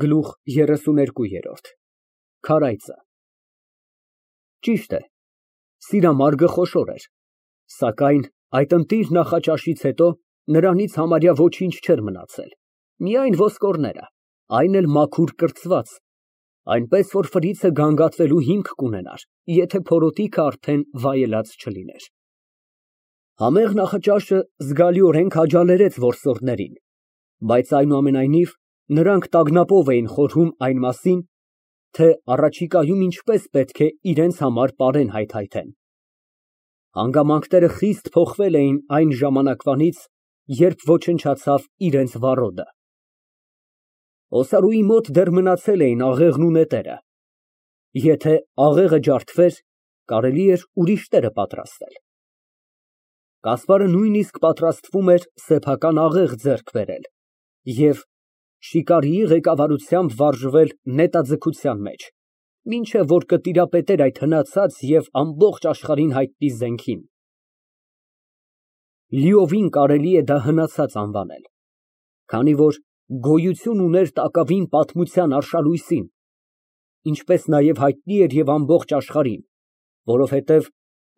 Գլուխ 32 Քարայծը Ճիշտ է, սիրամարգը խոշոր էր, սակայն այդ ընտիր նախաճաշից հետո նրանից համարյա ոչինչ չէր մնացել, միայն ոսկորները, այն էլ մաքուր կրծված, այնպես որ ֆրիցը գանգատվելու հիմք կունենար, եթե փորոտիքը արդեն վայելած չլիներ։ Համեղ նախաճաշը զգալիորեն քաջալերեց որսորդներին, բայց այնուամենայնիվ նրանք տագնապով էին խորհում այն մասին, թե առաջիկայում ինչպես պետք է իրենց համար պարեն հայթայթեն։ Հանգամանքները խիստ փոխվել էին այն ժամանակվանից, երբ ոչնչացավ իրենց վառոդը։ Օսարուի մոտ դեռ մնացել էին աղեղն ու նետերը։ Եթե աղեղը ջարդվեր, կարելի էր ուրիշ տեղը պատրաստել։ Կասպարը նույնիսկ պատրաստվում էր սեփական աղեղ ձեռք բերել և շիկարիի ղեկավարությամբ վարժվել նետաձգության մեջ, մինչև որ կտիրապետեր այդ հնացած և ամբողջ աշխարհին հայտնի զենքին։ Լիովին կարելի է դա հնացած անվանել, քանի որ գոյություն ուներ տակավին պատմության արշալույսին, ինչպես նաև հայտնի էր և ամբողջ աշխարհին, որովհետև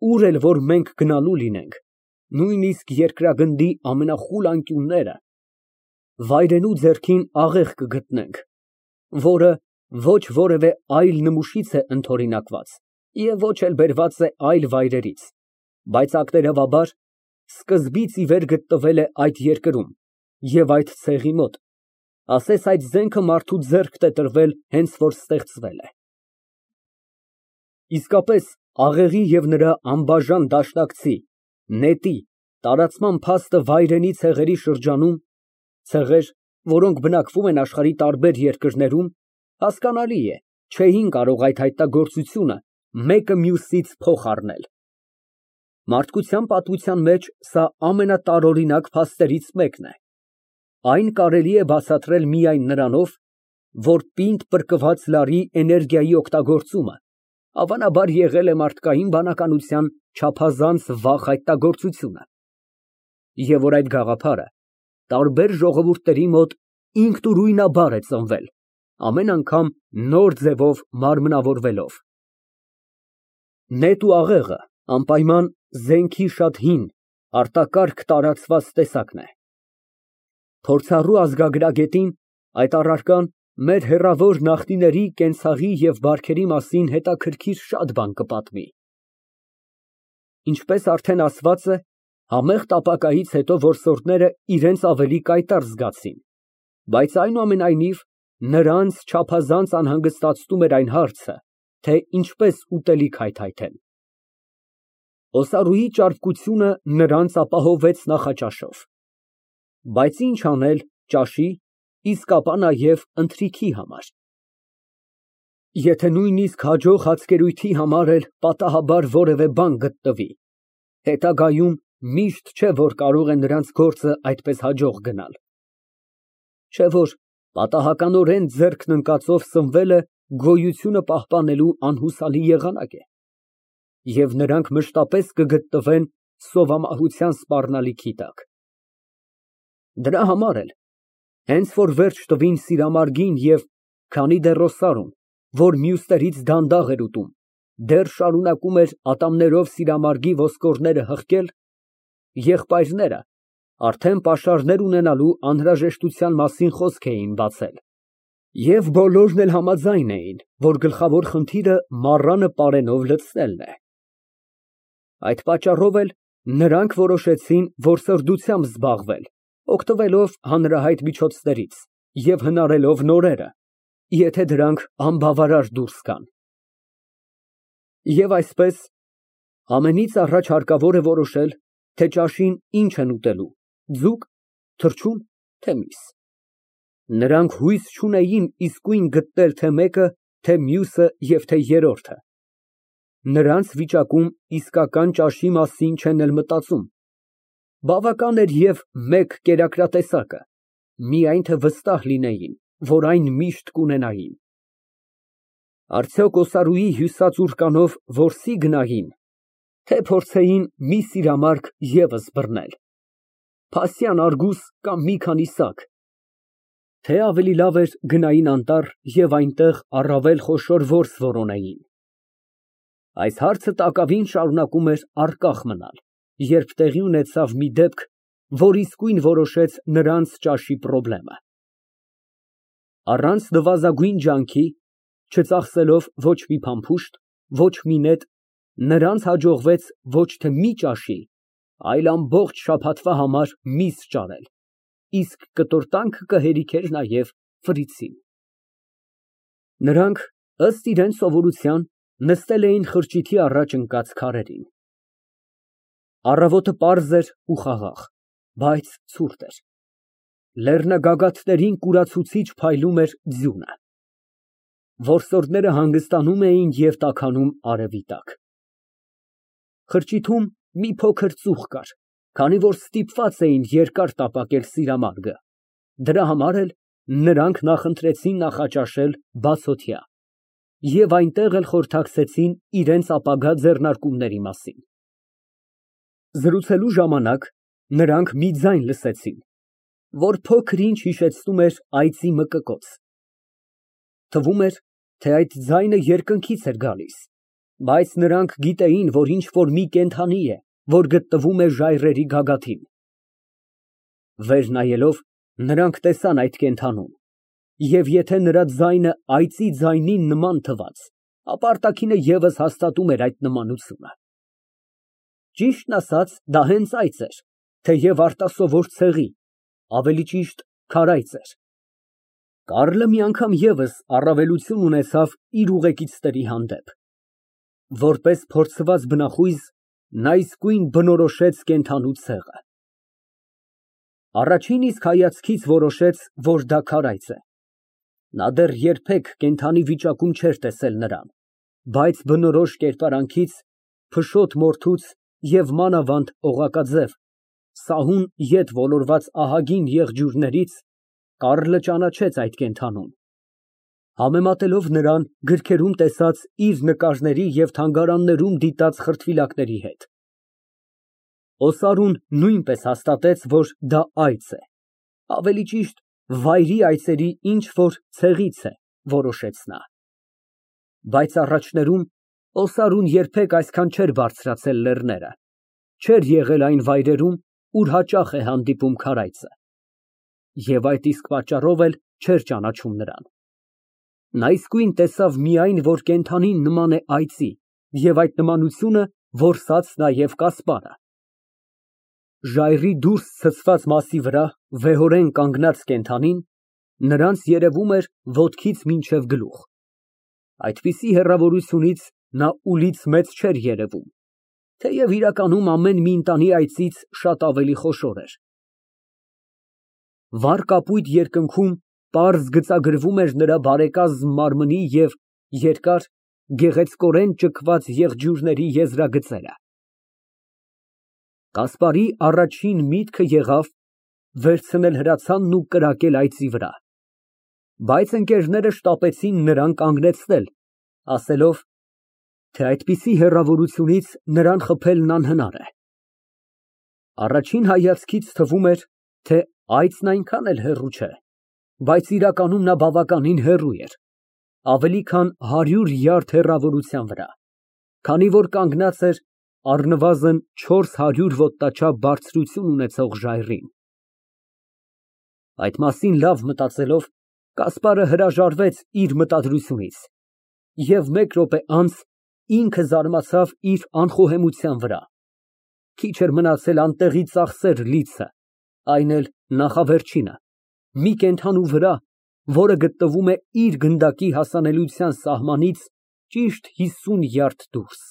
ուր էլ որ մենք գնալու լինենք, նույնիսկ երկրագնդի ամենախուլ անկյունները, վայրենու ձեռքին աղեղ կգտնենք, որը ոչ որևէ այլ նմուշից է ընդօրինակված և ոչ էլ բերված է այլ վայրերից, բայց ակներովաբար սկզբից ի վեր գտնվել է այդ երկրում և այդ ցեղի մոտ, ասես այդ զենքը մարդու ձեռքդ է տրվել հենց որ ստեղծվել է։ Իսկապես աղեղի և նրա անբաժան դաշնակցի՝ նետի տարածման փաստը վայրենի ցեղերի շրջանում, ցեղեր, որոնք բնակվում են աշխարհի տարբեր երկրներում, հասկանալի է, չէին կարող այդ հայտնագործությունը մեկը մյուսից փոխ առնել։ Մարդկության պատմության մեջ սա ամենատարօրինակ փաստերից մեկն է։ Այն կարելի է բացատրել միայն նրանով, որ պինդ պրկված լարի էներգիայի օգտագործումը հավանաբար եղել է մարդկային բանականության չափազանց վաղ հայտնագործությունը, և որ այդ գաղափարը տարբեր ժողովուրդների մոտ ինքնուրույնաբար է ծնվել, ամեն անգամ նոր ձևով մարմնավորվելով։ Նետ ու աղեղը անպայման զենքի շատ հին, արտակարգ տարածված տեսակն է։ Փորձառու ազգագրագետին այդ առարկան մեր հեռավոր նախնիների կենցաղի և բարքերի մասին հետաքրքիր շատ բան կպատմի։ Ինչպես արդեն ասված է, համեղ տապակայից հետո որսորդները իրենց ավելի կայտառ զգացին, բայց այնուամենայնիվ նրանց չափազանց անհանգստացնում էր այն հարցը, թե ինչպես ուտելիք հայթայթեն։ Օսարուի ճարպկությունը նրանց ապահովեց նախաճաշով, բայց ինչ անել ճաշի, իսկ ապա նաև ընթրիքի համար։ Եթե նույնիսկ հաջող հացկերույթի համար էլ պատահաբար որևէ բան գտնվի, հետագայում միշտ չէ, որ կարող է նրանց գործը այդպես հաջող գնալ։ Չէ որ պատահականորեն ձեռքն ընկածով սնվելը գոյությունը պահպանելու անհուսալի եղանակ է, և նրանք մշտապես կգտնվեն սովամահության սպառնալիքի տակ։ Դրա համար էլ, հենց որ վերջ տվին սիրամարգին և քանի դեռ Օսարուն, որ մյուսներից դանդաղ էր ուտում, դեռ շարունակում էր ատամներով սիրամարգի ոսկորները հղկել, եղբայրները արդեն պաշարներ ունենալու անհրաժեշտության մասին խոսք էին բացել, և բոլորն էլ համաձայն էին, որ գլխավոր խնդիրը մառանը պարենով լցնելն է։ Այդ պատճառով էլ նրանք որոշեցին որսորդությամբ զբաղվել, օգտվելով հանրահայտ միջոցներից և հնարելով նորերը, եթե դրանք անբավարար դուրս գան։ Եվ այսպես, ամենից առաջ հարկավոր է որոշել, թե ճաշին ինչ են ուտելու՝ ձուկ, թռչուն, թե միս։ Նրանք հույս չունեին իսկույն գտնել թե մեկը, թե մյուսը և թե երրորդը։ Նրանց վիճակում իսկական ճաշի մասին չեն էլ մտածում։ Բավական էր և մեկ կերակրատեսակը, միայն թե վստահ լինեին, որ այն միշտ կունենային։ Արդյոք Օսարուի հյուսած ուռկանով որսի գնային, թե փորձեին մի սիրամարգ ևս բռնել, փասյան արգուս կամ մի քանի սակ, Թե ավելի լավ էր գնային անտառ և այնտեղ առավել խոշոր որս որոնեին։ Այս հարցը տակավին շարունակում էր առկախ մնալ, երբ տեղի ունեցավ մի դեպք, որ իսկույն որոշեց նրանց ճաշի խնդիրը։ Առանց նվազագույն ջանքի, չծախսելով ոչ մի փամփուշտ, ոչ մի նետ, նրանց հաջողվեց ոչ թե մի ճաշի, այլ ամբողջ շաբաթվա համար միս ճարել, իսկ կտորտանքը կհերիքեր նաև ֆրիցին։ Նրանք, ըստ իրենց սովորության, նստել էին խրճիթի առաջ ընկած քարերին։ Առավոտը պարզ էր ու խաղաղ, բայց ցուրտ էր։ Լեռնագագաթներին կուրացուցիչ փայլում էր ձյունը։ Որսորդները հանգստանում էին և տաքանում արևի տակ։ Խրճիթում մի փոքր ծուխ կար, քանի որ ստիպված էին երկար տապակել սիրամարգը, դրա համար էլ նրանք նախընտրեցին նախաճաշել բացօթյա և այնտեղ էլ խորհրդակցեցին իրենց ապագա ձեռնարկումների մասին։ Զրուցելու ժամանակ նրանք մի ձայն լսեցին, որ փոքր ինչ հիշեցնում էր այծի մկկոց։ Թվում էր, թե այդ ձայնը երկնքից էր գալիս, բայց նրանք գիտեին, որ ինչ֊որ մի կենդանի է, որ գտնվում է ժայռերի գագաթին։ Վեր նայելով, նրանք տեսան այդ կենդանուն, և եթե նրա ձայնը այծի ձայնին նման թվաց, ապա արտաքինը ևս հաստատում էր այդ նմանությունը։ Ճիշտն ասած, դա հենց այծ էր, թեև արտասովոր ցեղի, ավելի ճիշտ քարայծ էր։ Կարլը մի անգամ ևս առավելություն ունեցավ իր ուղեկիցների հանդեպ։ Որպես փորձված բնախույզ, նա իսկույն բնորոշեց կենդանու ցեղը։ Առաջին իսկ հայացքից որոշեց, որ դա քարայծ է։ Նա դեռ երբեք կենդանի վիճակում չէր տեսել նրան, բայց բնորոշ կերպարանքից, փշոտ մորթուց և մանավանդ օղակաձև, սահուն ետ ոլորված ահագին եղջյուրներից Կարլը ճանաչեց այդ կենդանուն, համեմատելով նրան գրքերում տեսած իր նկարների և թանգարաններում դիտած խրտվիլակների հետ։ Օսարուն նույնպես հաստատեց, որ դա այծ է, ավելի ճիշտ, վայրի այծերի ինչ֊որ ցեղից է, որոշեց նա։ Բայց առաջներում Օսարուն երբեք այսքան չէր բարձրացել լեռները, չէր եղել այն վայրերում, ուր հաճախ է հանդիպում քարայծը, և այդ իսկ պատճառով էլ չէր ճանաչում նրան։ Նա իսկույն տեսավ միայն, որ կենդանին նման է այծի և այդ նմանությունը որսաց նաև Կասպարը։ Ժայռի դուրս ցցված մասի վրա վեհորեն կանգնած կենդանին նրանց երևում էր ոտքից մինչև գլուխ։ Այդպիսի հեռավորությունից նա ուլից մեծ չէր երևում, թեև իրականում ամեն մի ընտանի այծից շատ ավելի խոշոր էր։ Վառ կապույտ երկնքում պարզ գծագրվում էր նրա բարեկազմ մարմնի և երկար, գեղեցկորեն ճկված եղջյուրների եզրագծերը։ Կասպարի առաջին միտքը եղավ վերցնել հրացանն ու կրակել այծի վրա, բայց ընկերները շտապեցին նրան կանգնեցնել, ասելով, թե այդպիսի հեռավորությունից նրան խփելն անհնար է։ Առաջին հայացքից թվում էր, թե այծն այնքան էլ հեռու չէ, բայց իրականում նա բավականին հեռու էր, ավելի քան 100 յարդ հեռավորության վրա, քանի որ կանգնած էր առնվազն 400 ոտնաչափ բարձրություն ունեցող ժայռին։ Այդ մասին լավ մտածելով, Կասպարը հրաժարվեց իր մտադրությունից և մեկ րոպե անց ինքը զարմացավ իր անխոհեմության վրա։ Քիչ էր մնացել անտեղի ծախսեր լիցը, այն էլ նախավերջինը, մի կենդանու վրա, որը գտնվում է իր գնդակի հասանելիության սահմանից ճիշտ 50 յարդ դուրս։